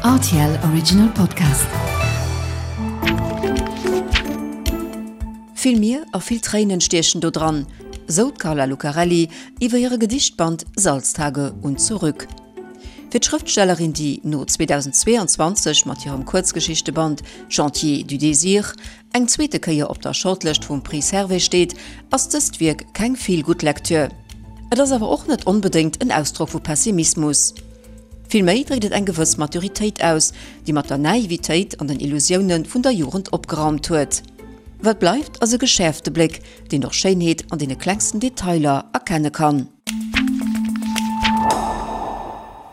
Rtl Original Podcast. Vill Mier a vill Tréinen stiechen do dran, sou d'Carla Lucarelli iwwer hire Gedichtband Salztage und zurück. Fir d'Schrëftstellerin, déi no 2022 mat hirem Kuerzgeschichteband Chantiers du désir eng zweete Kéier op der Shortlëscht vum Prix Servais steet, ass dëst Wierk keng Feel-Good-Lektür. Et ass awer och net onbedéngt en Ausdrock vu Pessimismus. Villméi dréckt et eng gewëss Maturitéit aus, déi mat der Naivitéit an den Illusioune vun der Jugend opgeraumt huet. Wat bleift, ass e geschäerfte Bléck, deen och Schéinheet an deene klengsten Detailer erkenne kann.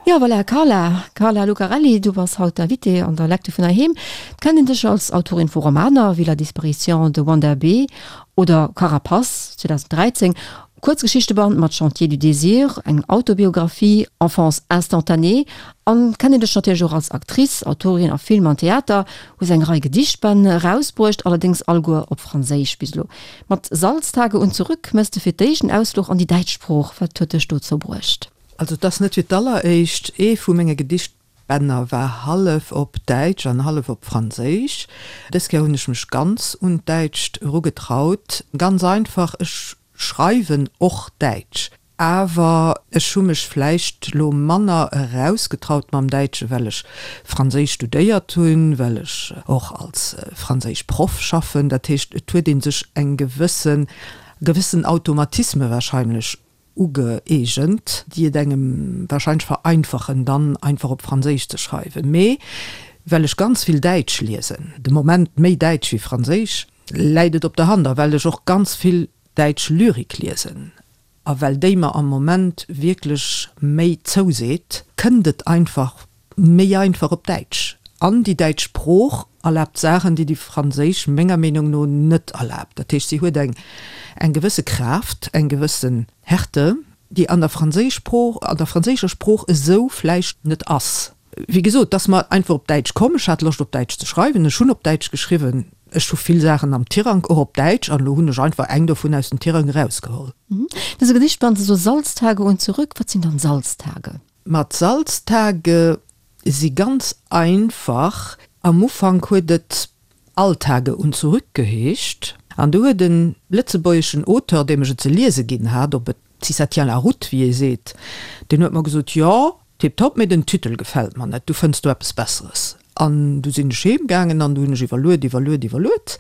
Jo, voilà, Carla, Carla Lucarelli, du bass haut d'Invitée an der Lecture vun Heiheem. D'kennt een dech als Autorin vu Romaner wéi La disparition de Wanda B. oder Carapace, 2013, Kuerzgeschichteband mat Chantiers du désir, eng Autobiographie, Enfance instantanée, an kennt een dech natierlech och als Actrice, Autorin a Film an Theater, hues eng Rei Gedichtbänn erausbruecht, allerdéngs alleguer op Franséisch bis elo. Mat Salztage und zurück méchs de fir d'éischt en Ausfluch an déi däitsch Sprooch. Wat huet dech dozou bruecht? Also et ass net fir d'alleréischt. Ee vu menge Gedichtbänner war hallef op Däitsch an hallef op Franséisch. Dës Kéier hunn ech mech ganz un d'Däitscht erugetraut. Ganz einfach, ech schreiwen och Däitsch, awer ech hu mech vläicht lo manner erausgetraut mam Däitsche well ech Franséisch studéiert hunn, well ech och als Franséischproff schaffen. Dat heescht, et huet ee sech eng gewëssen, gewëssen Automatisme wahrscheinlech Ugeegent, déi et engem wahrscheinlech vereinfachen, dann einfach op Franséisch ze schreiwen. Mee well ech ganz vill Däitsch liesen, de Moment méi Däitsch wéi Franséisch, läit et op der Hand, a well ech och ganz vill däitsch Lyrik liesen, a well déi mer am Moment wierklech méi zouseet, kënnt et einfach méi einfach op Däitsch. An déi däitsch Sprooch erlaabt Saachen, déi déi franséisch menger Meenung no net erlaabt. Dat heescht, si huet eng eng gewësse Kraaft, eng gewëssen Härte, déi an der franséisch Sprooch, an der franséischer Sprooch esou vläicht net ass. Wéi gesot, et ass mer einfach op Däitsch komm. Ech hat Loscht op Däitsch ze schreiwen. Ech hunn op Däitsch geschriwwen. Ech hu vill Saachen am Tirang, och op Däitsch, an elo hunn ech einfach eng dovun aus dem Tirang erausgeholl. Dëse Gedichtband, esou Salztage und zurück, wat sinn dann Salztage? Ma d'Salztage si ganz einfach. Am Ufank huet et Alltage und zurück geheescht. An du huet e lëtzebuergeschen Auteur, deem ech et ze liese ginn hat, ob et si ça tient la route, wéi ee seet, deen huet mer gesot, Jo, tiptop, mee den Titel gefält mer net, du fënns do eppes Besseres. An du sinn ech heem gaangen an du hunn ech iwwerluet, iwwerluet, iwwerluet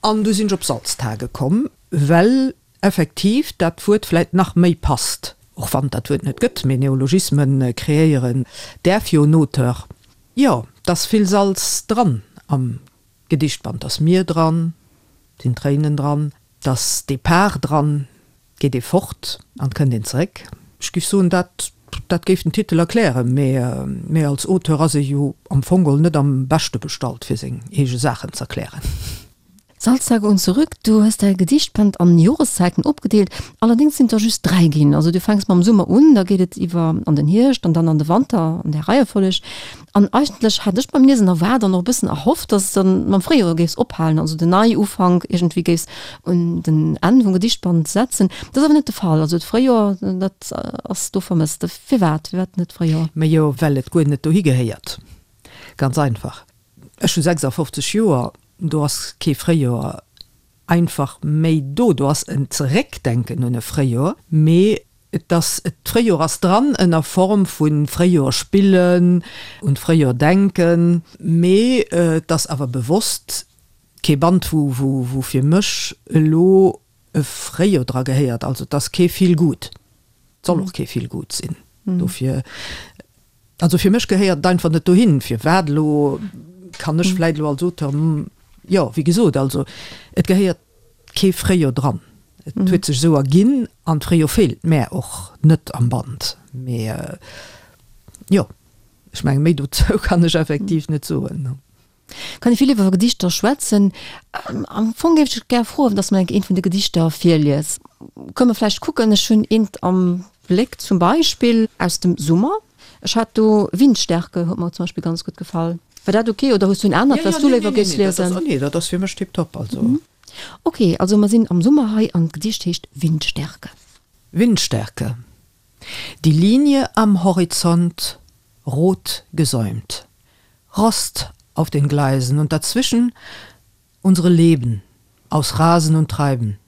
an du sinn ech op Salztage komm, well effektiv dat Wuert vläit nach méi passt, och wann et dat Wuert net gëtt, mee Neologismen kreéieren däerf jo en Auteur. Jo, 't ass vill Salz dran am Gedichtband, 't ass Mier dran, 't sinn Tréinen dran, 't ass Depart dran, 't geet ee fort an 't kënnt een zeréck. Ech géif soen, dat dat géif den Titel erklären, mee mee als Auteur ass ee jo am Fong geholl net am beschte bestallt fir seng eege Saachen z'erklären. Salztage und zurück, du hues däi Gedichtband an Joreszäiten opgedeelt, allerdéngs sinn et der just 3 ginn. Also du fänks mam Summer un, da geet et iwwer an den Hierscht an dann an de Wanter an där Reiefolleg. An eigentlech hat ech beim Liesen erwaart an och e bëssen erhofft, dass s de dann mam Fréijoer géifs ophalen, also den Neiufank iergendwéi géifs un den Enn vum Gedichtband setzen. Dat ass awer net de Fall. Also d'Fréijoer, dat ass do vermësst. Firwat? Firwat net d'Fréijoer? Majo, well et guer net dohi gehéiert. Ganz einfach. Ech hu 56 Joer, do ass kee Fréijoer einfach méi do. Do ass en Zeréckdenken un e Fréijoer, mee et ass, d'Fréijoer ass dran ënner Form vu Fréijoer spillen, un d'Fréijoer denken, mee et ass awer bewosst kee Band, wou, wou fir mech elo e Fréijoer dra gehéiert. Also et ass kee Feel Good, et soll och kee Feel Good sinn. Dofir. Also fir mech gehéiert et einfach net dohin. Firwat elo, kann ech vläit elo als Auteur, jo, wéi gesot, also et gehéiert kee Fréijoer dran. Et huet sech esou erginn an d'Fréijoer feelt mär och net am Band. Mee jo, ech menge méi dozou kann ech effektiv net soen. Kann ee vill iwwer Gedichter schwätzen. Am Fong géif ech dech gär froen, dass de mer eent vun de Gedichter virlies. Kënne mer vläicht kucken, ech hunn eent am Bléck zum Beispill aus dem Summer. Ech hat do Windstärke, huet mer zum Beispill ganz gutt gefall. War dat ok oder hues du en anert, wat s du léiwer géifs liesen? Nee, dat ass fir mech tiptop. Also. Ok, also mer sinn am Summer hei an d'Gedicht heescht Windstärke. Windstärke. Die Linie am Horizont rot gesäumt. Rost auf den Gleisen und dazwischen unsere Leben aus Rasen und Treiben.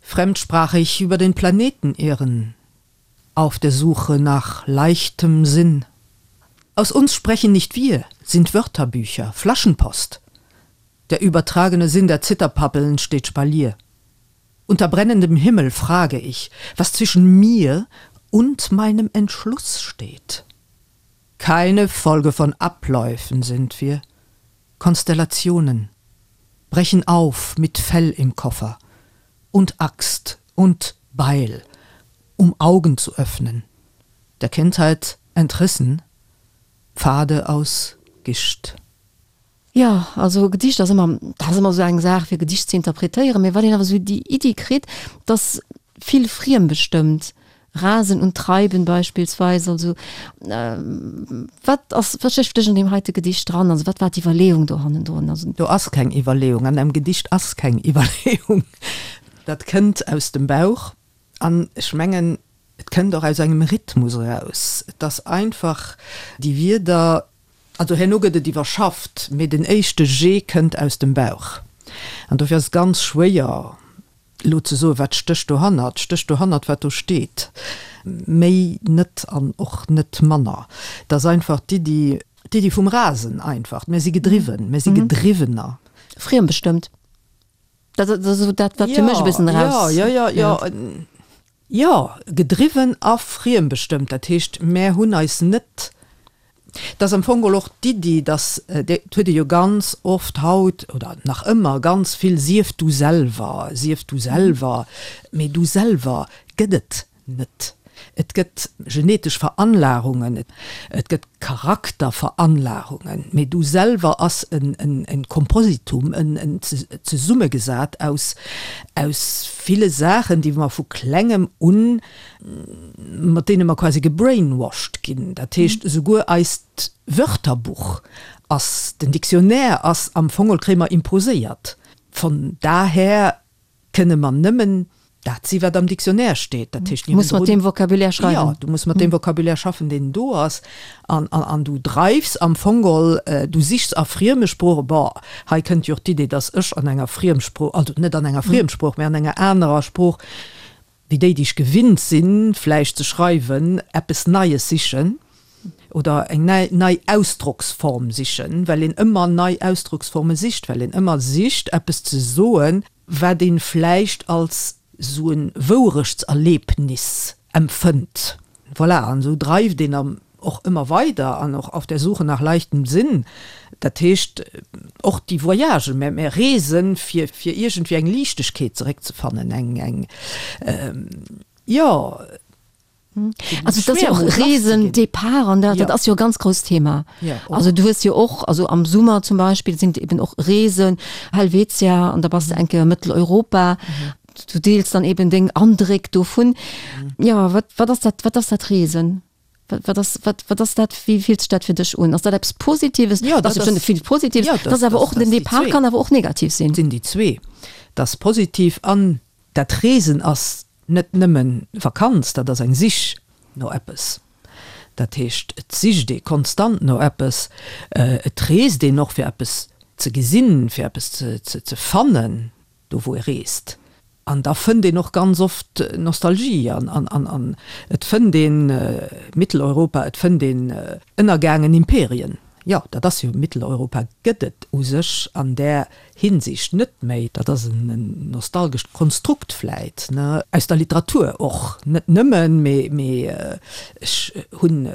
Fremdsprachig über den Planeten irren, auf der Suche nach leichtem Sinn. Aus uns sprechen nicht wir, sind Wörterbücher, Flaschenpost. Der übertragene Sinn der Zitterpappeln steht Spalier. Unter brennendem Himmel frage ich, was zwischen mir und meinem Entschluss steht. Keine Folge von Abläufen sind wir, Konstellationen brechen auf mit Fell im Koffer und Axt und Beil, um Augen zu öffnen, der Kindheit entrissen, Pfade aus Gischt. Jo, also Gedicht ass ëmmer, dat ass ëmmer esou eng Saach fir Gedicht ze interpretéieren, mee wann een awer esou déi Iddi kritt, dass vill friembestëmmt, Rasen und Treiben beispielsweis, also wat ass, wat stécht fir dech an deem heite Gedicht dran, also wat war d'Iwwerleeung do hannendrun? Also. Do ass keng Iwwerleeung, an engem Gedicht ass keng Iwwerleeung, dat kënnt aus dem Bauch an ech mengen, et kënnt och aus engem Rhythmus eraus, et ass einfach déi Wierder, Also herno gëtt et iwwerschafft, mee den éischte Jet kënnt aus dem Bauch. An dofir ass et ganz schwéier, elo ze soen, wat stécht dohannert. Stécht dohannert, wat do steet. Méi net an och net manner. Et ass einfach d'Iddi, d'Iddi vum Rasen einfach. Mir si gedriwwen, mir si Gedriwwener. Friembestëmmt. Dat ass esou dat, wat fir mech e bëssen eraus. Jo, jo, jo, jo. Jo, gedriwwen a friembestëmmt. Dat heescht, mär hunn eis net, et ass am Fong geholl och d'Iddi, datt, et huet ee jo ganz oft haut oder nach ëmmer ganz vill, sief du selwer, sief du selwer, mee du selwer gëtt et net. Et gëtt genetesch Veranlagungen, et gëtt Charakterveranlagungen, mee du selwer ass en Kompositum, en zesummegesat aus aus ville Saachen, déi mer vu klengem un, mat deene mer quasi gebrainwashed ginn. Dat heescht, esouguer eist Wörterbuch ass, den Dictionnaire ass am Fong kréie mer imposéiert. Von daher Kënne mer nëmmen dat si wat am Dictionnaire steet. Dat heescht, Du muss mat deem Vocabulaire schreiwen. Jo, du muss mat deem Vocabulaire schaffen, deen do ass. An, an, an du dreifs am Fong geholl, du sichs a frieme Sproochen, bon, hei kënnt jo och d'Idee, datt ech an enger Friemsprooch, also net an enger Friemsprooch, mä an enger anerer Sprooch wéi déi, déi ech gewinnt sinn, vläicht ze schreiwen, eppes Neies sichen oder eng nei, nei Ausdrocksform sichen, well een ëmmer nei Ausdrocksforme sicht, well een ëmmer sicht, eppes ze soen, wat ee vläicht als esou e Wourechtserlebnis empfënnt. Voilà, an esou dreift een am och ëmmer weider an och auf der Suche nach leichtem Sinn. Dat heescht, och déi Voyagen, mär, mär reesen, fir, fir iergendwéi eng Liichtegkeet zeréckzefannen, eng, eng, jo. Also et ass jo och Reesen, Depart an dat, dat ass jo e ganz grousst Thema. Also du hues jo och, also am Summer zum Beispill sinn et eben och Reesen, Helvetia an da bass de eng Kéier Mëtteleuropa. Du deels dann eben deng Andréck dovun. Jo, wat, wat ass dat, wat ass dat Reesen? Wat, wat ass, wat, wat ass dat, wéi fillt sech dat fir dech un? Ass dat eppes Positives? Jo, dat ass vill Positives. Jo, dat ass awer och, den Depart kann awer och negativ sinn. Sinn déi zwee. Dat ass positiv an dat Reesen ass net nëmmen Vakanz, dat ass eng Sich no eppes. Dat heescht, et sicht ee konstant no eppes, et reest een och fir eppes ze gesinn, fir eppes ze fannen, do wou ee reest. An da fënnt een och ganz oft Nostalgie an an et fënnt een Mitteleuropa, et fënnt een ënnergaangen Imperien. Jo, dat ass jo, Mitteleuropa gëtt et u sech an där Hinsicht net méi. Dat ass en nostalgescht Konstrukt vläit, ne, aus der Literatur och, net nëmmen, mee mee ech hunn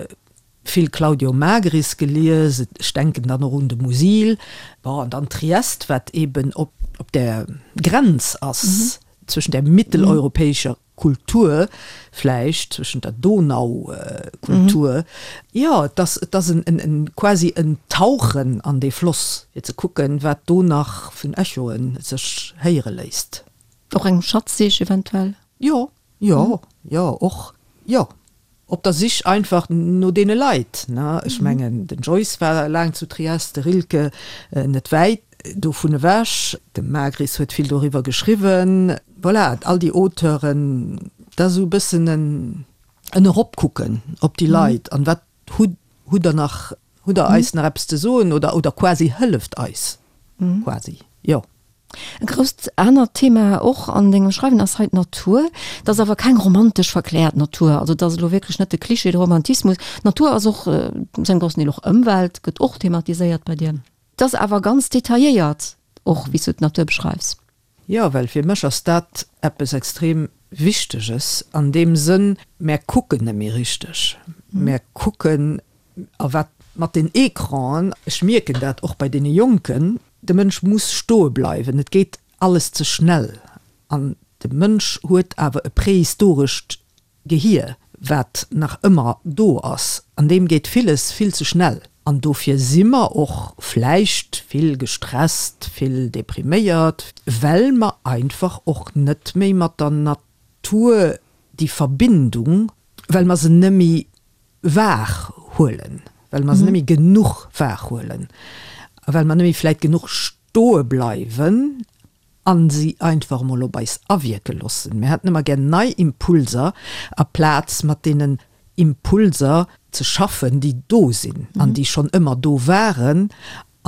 vill Claudio Magris gelies, ech denken dann och un de Musil, bon, an dann Triest, wat eben op op där Grenz ass zwëschen där mitteleuropäescher Kultur vläicht, zwëschen der Donaukultur. Jo, et ass, et ass en, en, quasi en Tauchen an dee Floss, fir ze kucken, wat do nach vun Echoen sech héiere léisst. Och eng Schatzsich eventuell? Jo, jo, jo, och, jo. Op der Sich einfach no deene Leit, ne? Ech mengen, den Joyce war laang zu Triest, de Rilke net wäit dovun ewech, de Magris huet vill doriwwer geschriwwen. Voilà, all déi Auteuren, dat ass esou e bëssen en Eropkucken op déi Leit an wat hutt, hutt Der nach. Hutt Der eis nach eppes ze soen oder, oder quasi hëlleft eis quasi, jo. E grousst anert Thema och an dengem Schreiwen ass hei d'Natur. Dat ass awer keng romantesch verkläert Natur, also dat ass elo wierklech net de Klischee, de Romantismus. D'Natur ass och zu engem groussen Deel och Ëmwelt, gëtt och thematiséiert bei dir. Et ass awer ganz detailléiert och, wéi s du d'Natur beschreifs. Jo, well fir mech ass dat eppes extrem Wichteges an deem Sënn, mär kucken net méi richteg, mär kucken a wat mat den Ecranen, ech mierken dat och bei deene Jonken, de Mënsch muss stoe bleiwen, et geet alles ze schnell an de Mënsch huet awer e prehistorescht Gehier, wat nach ëmmer do ass, an deem geet villes vill ze schnell. An dofir si mer och vläicht vill gestresst, vill depriméiert, well mer einfach och net méi mat der Natur déi Verbindung, well mer se net méi wahr huelen, well mer se net méi genuch wahr huelen a well mer net méi vläicht genuch stoe bleiwen a se einfach emol op eis awierke loossen. Mir hätten ëmmer gär nei Impulser, aplaz mat deenen Impulser ze schaffen, déi do sinn an déi schonn ëmmer do waren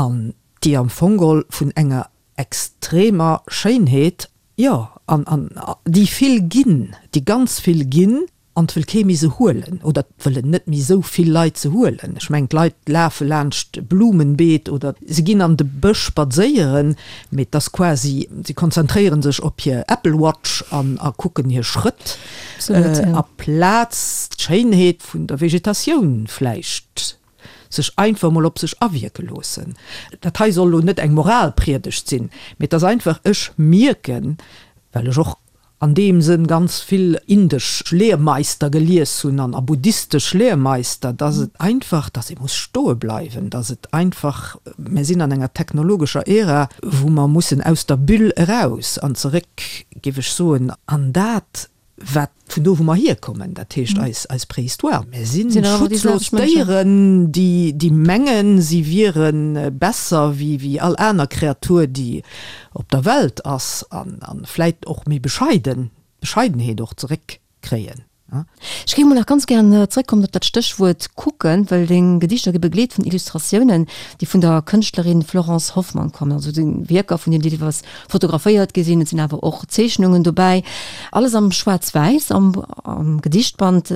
an déi am Fong geholl vun enger extremer Schéinheet, jo, an déi vill ginn, déi ganz vill ginn. An 't wëll kee méi se huelen, oder 't wëllen net méi esou vill Leit se huelen. Ech mengen, d'Leit lafe laanscht Blumenbeet oder se ginn an de Bësch spadséieren, mee 't ass quasi, se konzentréiere sech op hir Apple Watch an a kucken hir Schrëtt, aplaz d'Schéinheet vun der Vegetatioun vläicht sech einfach mol op sech awierke loossen. Dat hei soll elo net eng Moralpriedegt sinn, mee 't ass einfach, ech mierken, well ech och an deem Sënn ganz vill indesch Lehrmeister gelies hunn an a buddhistesch Lehrmeister, dass et einfach, dass ee muss stoe bleiwen, dass et einfach, mir sinn an enger technologescher Ära, wou mer mussen aus der Bulle eraus an zeréck, géif ech soen, an dat, wat vun do wou mer hierkommen, dat heescht eis, eis Préhistoire. Mir si schutzlos Déieren, déi, déi mengen, si wiere besser wéi, wéi all aner Kreatur, déi op der Welt ass an vläit och méi bescheiden, Bescheidenheet och zeréck kréien. Ech géing mol nach ganz gären zeréckkommen op dat Stéchwuert kucken, well deng Gedichter gi begleet vun Illustratiounen, déi vun der Kënschtlerin Florence Hoffmann kommen, also et si Wierker vun hir, déi deelweis fotograféiert gi sinn, et sinn awer och Zeechnungen dobäi, alles am Schwaarz-Wäiss am Gedichtband.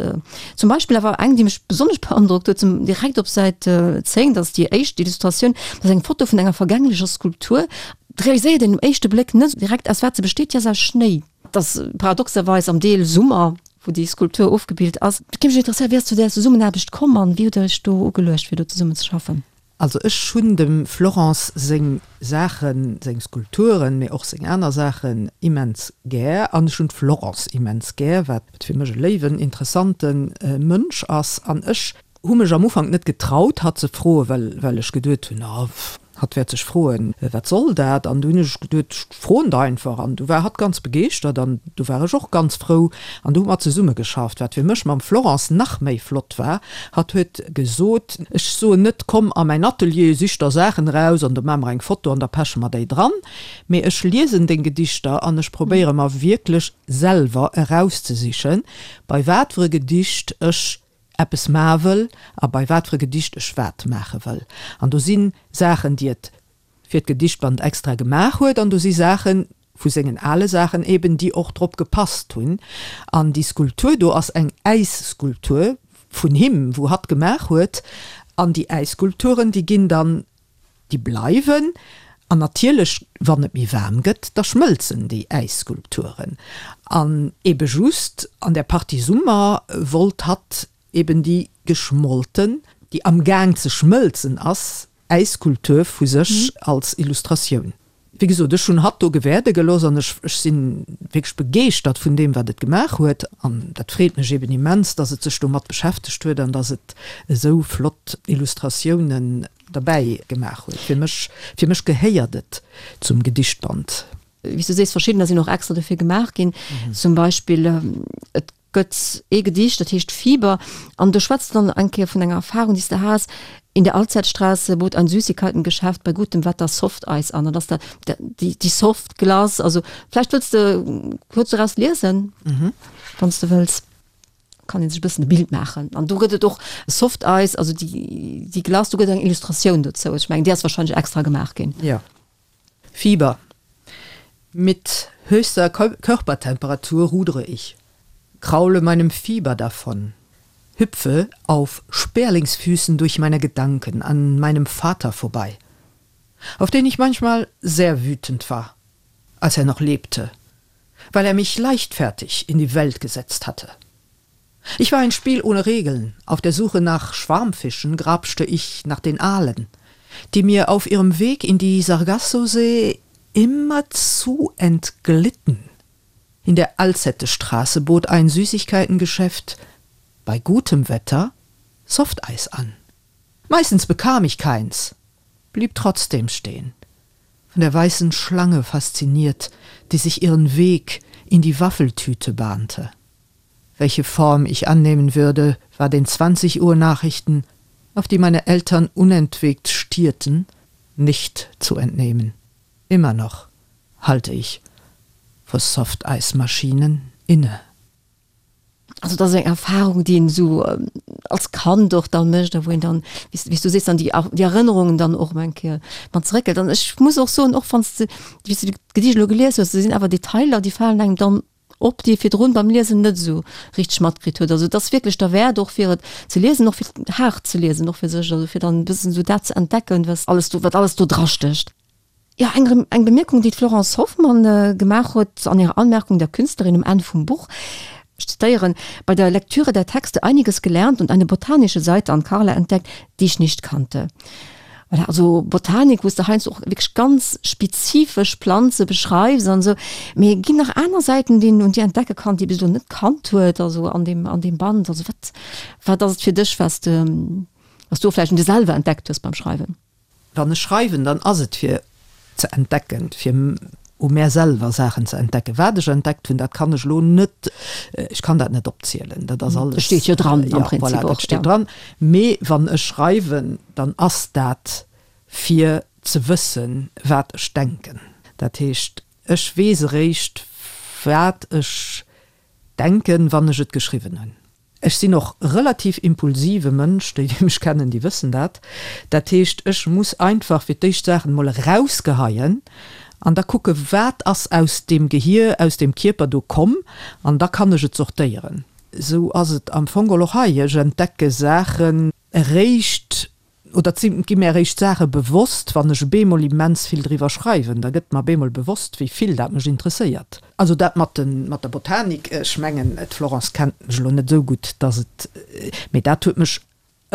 Zum Beispill awer eng, déi mech besonnesch beandrockt huet, zum direkt op Säit 10, dat ass déi éischt Illustratioun, dat ass eng Foto vun enger vergänglecher Skulptur. Et realiséiert een um éischte Bléck net direkt, aus wat se besteet, déi ass aus Schnéi. Et ass paradoxerweis am Deel Summer, wou déi Skulptur ofgebilt ass. Et géif mech interesséieren, wéi ass zu där Zesummenaarbecht komm an wéi hutt der iech do ugeluecht, fir do zesummen ze schaffen? Also ech hunn dem Florence seng Saachen, seng Skulpturen, mee och seng aner Saachen immens gär an ech hunn d'Florence immens gär, wat fir mech e léiwen, interessante Mënsch ass. An ech hu mech am Ufank net getraut, hatt ze froen, well well ech geduet hunn, oh, hatt wäert sech froen, wat soll dat? An du hunn ech geduet, ech froen der einfach. An du war hatt ganz begeeschtert an du war ech och ganz frou. An du hu mer zesumme geschafft, wat fir mech mam Florence nach méi flott war, Hatt huet gesot, ech soen net, komm a mäin Atelier, sich der Saachen eraus an do maache mer eng Foto an da peche mer déi dran, mee ech liesen deng Gedichter an ech probéiere mer wierklech selwer erauszesichen, bei wat fir e Gedicht ech eppes maache wëll a bei wat fir e Gedicht ech wat maache wëll. An do si Saachen, déi et fir d'Gedichtband extra gemaach huet, an do si Saachen, vu sengen ale Saachen eben, déi och drop gepasst hunn. An déi Skulptur do ass eng Äisskulptur vun him, wou hatt gemaach huet. An déi Äisskulpturen, déi ginn dann, déi bleiwen. An natierlech, wann et méi waarm gëtt, da schmëlzen déi Äisskulpturen. An ebe just an der Partie Summer wollt hatt eben déi geschmolten, déi am Gaang ze schmëlzen ass, Äisskulptur vu sech als Illustratioun. Wéi gesot, ech hunn hatt do gewäerde gelooss an ech, ech si wierklech begeeschtert vun deem, wat et gemaach huet. An dat freet mech eben immens, dass et sech domat beschäftegt huet an dass et esou flott Illustratiounen derbäi gemaach huet. Fir mech, fir mech gehéiert et zum Gedichtband. Wéi s du sees, verschiddener sinn och extra dofir gemaach ginn. Zum Beispill, et gëtt ee Gedicht, dat heescht Fieber, an do schwätzt de dann eng Kéier vun enger Erfahrung, déi s de has, In der Alzeitstraße bot ein Süßigkeitengeschäft bei gutem Wetter Softeis an. An dass da déi, déi Softglace, also vläicht wëlls de kuerz doraus liesen, wann s de wëlls. Kann een sech e bëssen e Bild maachen. An do gëtt et och Soft Ice, also déi, déi Glace, do gëtt et eng Illustratioun dozou. Ech mengen, déi ass wahrscheinlech extra gemaach ginn. Jo. Fieber. Mit höchster Körpertemperatur rudere ich, kraule meinem Fieber davon, hüpfe auf Sperlingsfüßen durch meine Gedanken an meinem Vater vorbei, auf den ich manchmal sehr wütend war, als er noch lebte, weil er mich leichtfertig in die Welt gesetzt hatte. Ich war ein Spiel ohne Regeln. Auf der Suche nach Schwarmfischen grabschte ich nach den Aalen, die mir auf ihrem Weg in die Sargassosee immerzu entglitten. In der Alzettestraße bot ein Süßigkeitengeschäft bei gutem Wetter Softeis an. Meistens bekam ich keins, blieb trotzdem stehen, von der weißen Schlange fasziniert, die sich ihren Weg in die Waffeltüte bahnte. Welche Form ich annehmen würde, war den 20 Uhr Nachrichten, auf die meine Eltern unentwegt stierten, nicht zu entnehmen. Immer noch halte ich vor Softeismaschinen inne. Also dat ass eng Erfahrung, déi een esou als Kand och dann mécht a wou een dann, wéi s wéi s du sees, dann déi déi Erënnerungen dann och emol eng Kéier mat zeréckhëlt. An ech muss och soen, och wann s de, wéi s du d'Gedicht elo gelies hues, do sinn awer Detailer, déi falen engem dann op, déi ee virdrun beim Liesen net esou richteg matkritt huet. Also et ass wierklech derwäert och fir et ze liesen, och fir haart ze liesen, och fir sech, also fir dann e bëssen esou dat ze entdecken, was alles do, wat alles do drastécht. Jo, eng eng Bemierkung, déi d'Florence Hoffmann gemaach huet an hirer Anmerkung der Künstlerin um Enn vum Buch, ech zitéieren, Bei der Lektüre der Texte einiges gelernt und eine botanische Seite an Carla entdeckt, die ich nicht kannte. Voilà, also Botanik, wou s de heiansdo och wierklech ganz spezifesch Planze beschreifs an esou. Mee ginn nach aner Säiten, déi een un dir entdecke kann, déi ee bis elo net kannt huet, also an deem an deem Band? Also wat wat ass et fir dech, wat s de wat s du och vläicht un dir selwer entdeckt hues beim Schreiwen? Wann ech schreiwen, dann ass et fir ze entdecken, fir u mär selwer Saachen ze entdecken. Wat ech entdeckt hunn, dat kann ech elo net, ech kann dat net opzielen, dat ass alles. Dat steet jo dran am Prinzip och. Voilà, dat steet dran. Mee wann ech schreiwen, dann ass dat fir ze wëssen, wat ech denken. Dat heescht, ech weess eréischt, wat ech denken, wann ech et geschriwwen hunn. Ech sinn och relativ impulsive Mënsch, déi déi mech kennen, déi wëssen dat. Dat heescht, ech muss einfach fir d'éischt Saachen emol erausgeheien an da kucke wat ass aus deem Gehier, aus deem Kierper do komm an da kann ech et sortéieren. Esou ass et am Fong geholl och hei, ech entdecke Saachen eréischt Oder et gi mir eréischt Saache bewosst, wann ech bemol immens vill driwwer schreiwen. Da gëtt mer bemol bewosst, wéi vill dat mech interesséiert. Also dat mat de mat der Botanik, ech mengen, d'Florence kennt mech elo net esou gutt, datt et, mee dat huet mech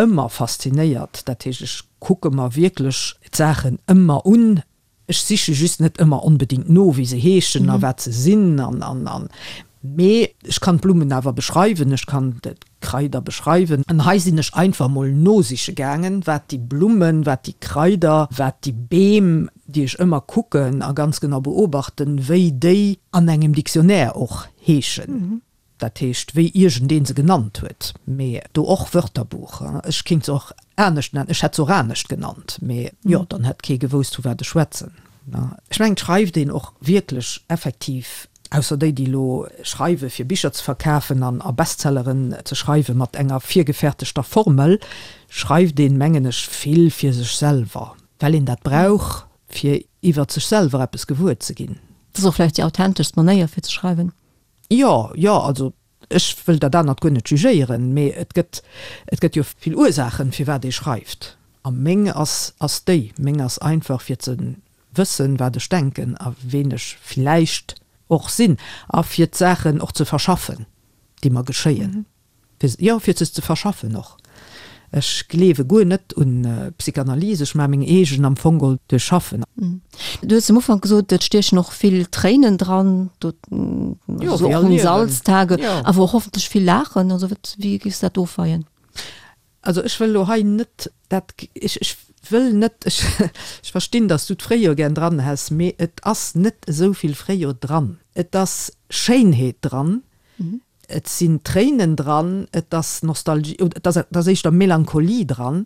ëmmer faszinéiert. Dat heescht, ech kucke mer wierklech d'Saachen ëmmer un. Ech siche just net ëmmer onbedingt no, wéi se heeschen a wat se sinn an, an, an. Mee ech kann d'Blummen awer beschreiwen, ech kann d'Kraider beschreiwen. An hei sinn ech einfach mol nosiche gaangen, wat déi Blummen, wat déi Kraider, wat déi Beem, déi ech ëmmer kucken a ganz genau beobachten, wéi déi an engem Dictionnaire och heeschen. Dat heescht, wéi iergendee se genannt huet, mee do och Wörterbuch. Ech kéint se och anescht nennen, ech hätt se och anescht genannt, mee jo, dann hätt kee gewousst, vu wat ech schwätzen. Ech mengen, et schreift een och wierklech effektiv, ausser déi, déi elo schreiwe fir Bicher ze verkafen an a Bestselleren ze schreiwe mat enger virgefäertegter Formel, schreift een, mengen ech, vill fir sech selwer, well een dat brauch, fir iwwert sech selwer eppes gewuer ze ginn. Dat ass och vläicht déi authenteschst Manéier fir ze schreiwen. Jo, jo, also ech wëll dat anert guer net jugéieren, mee et gëtt, et gëtt jo vill Ursaachen, firwat ee schreift. A meng ass, ass déi, meng ass einfach fir ze wëssen, wat ech denken a ween ech villäicht och sinn a fir d'Saachen och ze verschaffen, déi mer geschéien. Fir, jo, fir se ze verschaffen och. Ech gleewe guer net un Psychanalyse, ech maache meng eegen am Fong geholl duerch Schaffen. Du hues am Ufank gesot, et stiechen och vill Tréinen dran, do, Jo, also wéi och all un Liewen. Salztage, Jo. awer och hoffentlech vill Laachen. Also wat, wéi géifs du dat ofweien? Also ech wëll elo hei net dat, ech, ech wëll net, ech, ech verstinn, datt s du d'Fréijoer gär dran häss, mee et ass net esou vill Fréijoer dran. Et ass Schéinheet dran, Et sinn Tréinen dran, et ass Nostalgie, oder et ass, et ass éischter Melancholie dran,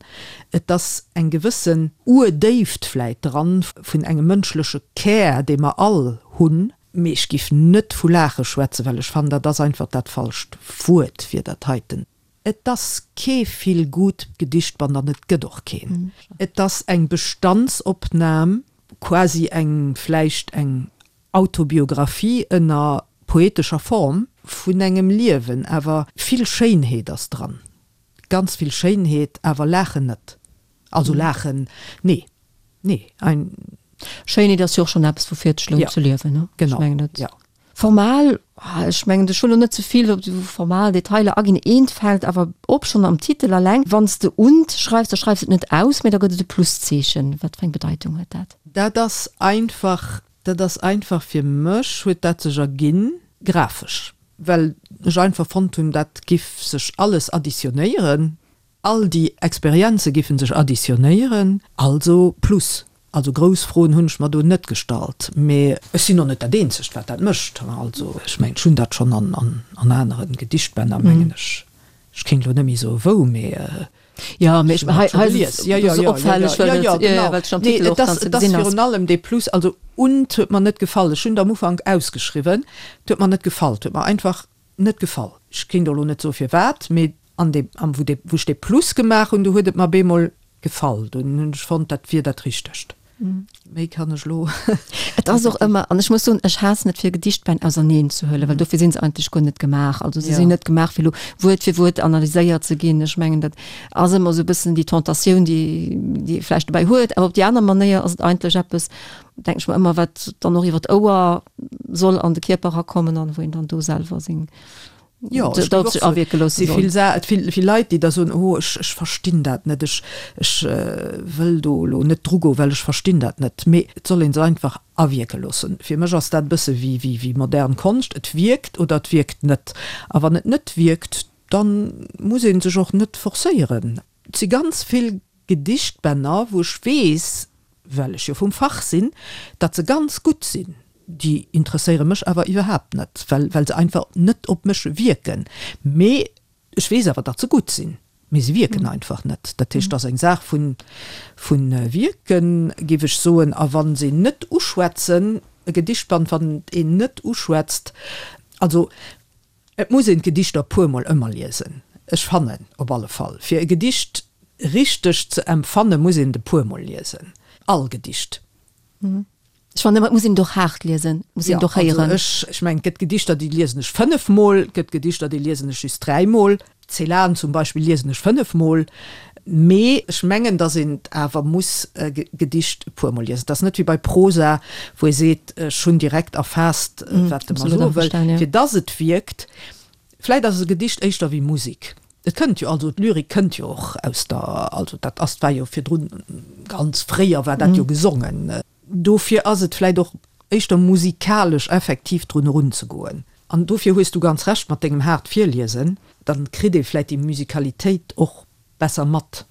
et ass eng gewëssen Urdéift vläit dran vun engem mënschleche Kär, dee mer all hunn. Mee ech giff net vu Laache schwätzen, well ech fannen, dat ass einfach dat falscht Wuert fir dat heiten. Et ass kee Feel-Good Gedichtband an et gëtt och keen. Et ass eng Bestandsopnam, quasi eng, vläicht eng Autobiographie ënner poetescher Form vun engem Liewen. Awer vill Schéinheet ass dran, ganz vill Schéinheet, awer laachen net. Also laachen, nee, nee, ein. Schéinheet ass jo och schonn eppes, woufir et sech lount ze liewen, ne? Genau, ja. Formal, ech mengen, ech wëll elo net ze vill op déi formal Detailer aginn. Eent fält awer op, schonn am Titel alleng, Wann s de und schreifs, da schreifs de et net aus, mä da gëtt et e Pluszeechen. Wat fir eng Bedeitung huet dat? Dat ass einfach, dat ass einfach fir mech huet dat sech erginn, grafesch, well ech einfach fonnt hunn, dat giff sech alles additionéieren. All déi Experienze giffen sech additionnéieren, also plus. Also grouss Froen hunn ech mer do net gestallt, mee ech sinn och net dat eenzegt wat dat mécht. Also ech mengen, ech hunn dat schonn an aneren Gedichtbänner, mengen ech, ech kéint elo net méi soe wou, mee Jo, mee ech hei hei ass et esou opfälleg, well et, jo, jo, well et schonn am Titel och dann ze gesinn ass. Virun allem dee Plus, also und huet mer net gefall. Ech hunn et am Ufank ausgeschriwwen, et huet mer net gefall, et huet mer einfach net gefall. Ech kéint och elo net soe firwat, mee an deem, am wou dee, wou ech dee Plus gemaach hunn, do huet et mer bemol gefall. Do hunn ech fonnt, dat wier dat Richtegt. Méi kann ech elo. Et ass och ëmmer, an ech muss soen, ech haassen et fir Gedichtbänn auserneen ze huelen, well dofir si se eigentlech guer net gemaach. Also se sinn net gemaach fir elo Wuert fir Wuert analyséiert ze ginn. Ech mengen dat ass ëmmer esou e bëssen déi Tentatioun, déi déi ee vläicht dobäi huet. Awer op déi aner Manéier ass et eigentlech eppes, denken ech mer ëmmer, wat dann och iwwer d'Ouer soll an de Kierper erakommen an wou een dann do selwer seng Jo, ech géif och soen, awierke loosse si soll. vill Sa et vill vill Leit, déi da soen, oh ech ech verstinn dat net, ech ech wëll do elo net drugoen, well ech verstinn dat net. Mee et soll ee se einfach awierke loossen. Fir mech ass dat e bësse wéi wéi wéi modern Konscht, et wierkt oder et wierkt net. A wann et net wierkt, dann muss ee sech och net forcéieren. Et si ganz vill Gedichtbänner, wou ech weess, well ech jo vum Fach sinn, datt se ganz gutt sinn. Déi interesséiere mech awer iwwerhaapt net, well well se einfach net op mech wierken. Mee ech weess awer, datt se gutt sinn, mee se wierken einfach net. Dat heescht, et ass eng Saach vu vu Wierken, géif ech soen. A wa se net uschwätzen, e Gedichtband, wann et een net uschwätzt, also Et muss een d'Gedichter e puer mol ëmmer liesen. Ech fannen op alle Fall, fir e Gedicht richteg ze empfanne muss een et e puer mol liesen. All Gedicht. Ech fannen ëmmer, et muss een et och haart liesen, et muss een et och héieren. Also ech, ech mengen, et gëtt Gedichter, déi liesen ech 5 mol, et gëtt Gedichter, déi liesen ech just 3 mol. Celan zum Beispill liesen ech 5 mol. Mee ech mengen, datt een et awer muss e Gedicht e puer mol liesen. Et ass net wéi bei Prosa, wou ee seet, ech hunn direkt erfaasst, wat e mer soe wëll. Fir datt et wierkt. Vläit ass e Gedicht éischter wéi Musek. Et kënnt jo, also d'Lyrik kënnt jo och aus der, also dat ass, war jo virdrun, ganz fréier war dat jo gesongen. Dofir ass et vläit och éischter musikalesch effektiv drun erunzegoen. An dofir hues du ganz Recht mat dengem haart Virliesen, dann kritt ee vläit déi Musikalitéit och besser mat.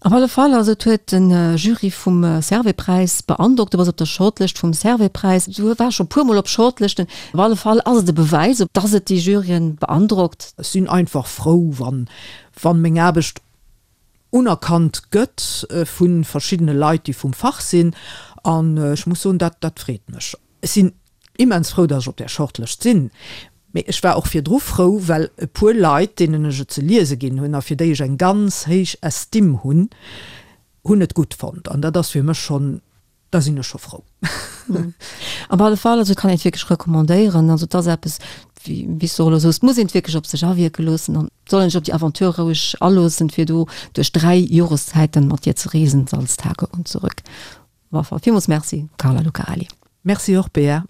Op alle Fall, also et huet de Jury vum Servais-Präis beandrockt. Du bass op der Shortlëscht vum Servais-Präis. Du waars scho puer mol op Shortlëschten. Op alle Fall ass et e Bewäis, dass et déi Juryen beandrockt. Ech sinn einfach frou, wann wann meng Aarbecht unerkannt gëtt vu verschiddene Leit, déi vum Fach sinn. An ech muss soen, dat dat freet mech. Ech sinn immens frou, datt ech op där Shortlëscht sinn. Mee ech war och virdru frou, well e puer Leit, deenen ech et ze liese ginn hunn a fir déi ech eng ganz héich Estime hunn, hunn et gutt fonnt. An dat ass fir mech schonn, da sinn ech scho frou. Op alle Fall, also kann een et wierklech recommandéieren. Also et ass eppes, wéi wéi s du och elo soos, et muss een et wierklech op sech awierke loossen an et soll een sech op déi Aventure roueg aloossen, fir do duerch 3 Joreszäiten mat dir ze reesen, Salztage und zurück. Op alle Fall villmools Merci, Carla Lucarelli. Merci och, Bea.